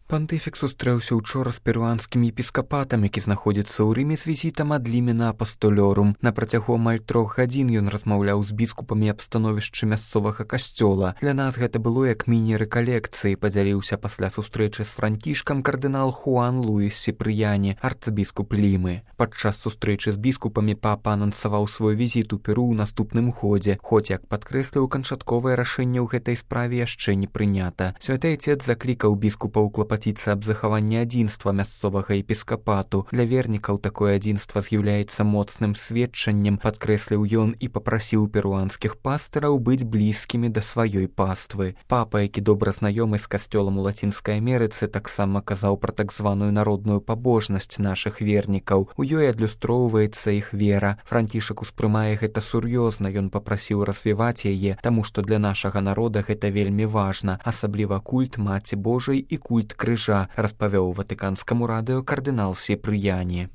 Пантыфік сустрэўся учора з перуанскім епіскапатам, які знаходзіцца ў Рыме з візітам ад Лімена апастолёрум. На працягу амаль 3 гадзін ён размаўляў з біскупамі аб становішчы мясцовага касцёла. Для нас гэта было як міні-рэкалекцыі, падзяліўся пасля сустрэчы з францішкам кардынал Хуан Луіс Сіпрыяні, арцбіскуп Лімы. Падчас сустрэчы з біскупамі папа анансаваў свой візіт у Перу ў наступным годзе, хоць, як падкрэсліў, канчатковае рашэнне ў гэтай справе яшчэ не прынята. Святы Айцец заклікаў біскупаў клапаціцца аб захаванні адзінства мясцовага епіскапату. Для вернікаў такое адзінства з'яўляецца моцным сведчаннем, падкрэсліў ён і папрасіў перуанскіх пастыраў быць блізкімі да сваёй паствы. Папа, які добра знаёмы з касцёлам у Лацінскай Амерыцы, таксама казаў пра так званую народную пабожнасць нашых вернікаў. У ёй адлюстроўваецца іх вера. Францішак успрымае гэта сур'ёзна, ён папрасіў развіваць яе, таму што для нашага народа гэта вельмі важна, асабліва культ Маці Божай і культ крыжа, распавёў ватыканскаму радыё кардынал Сіпрыяні.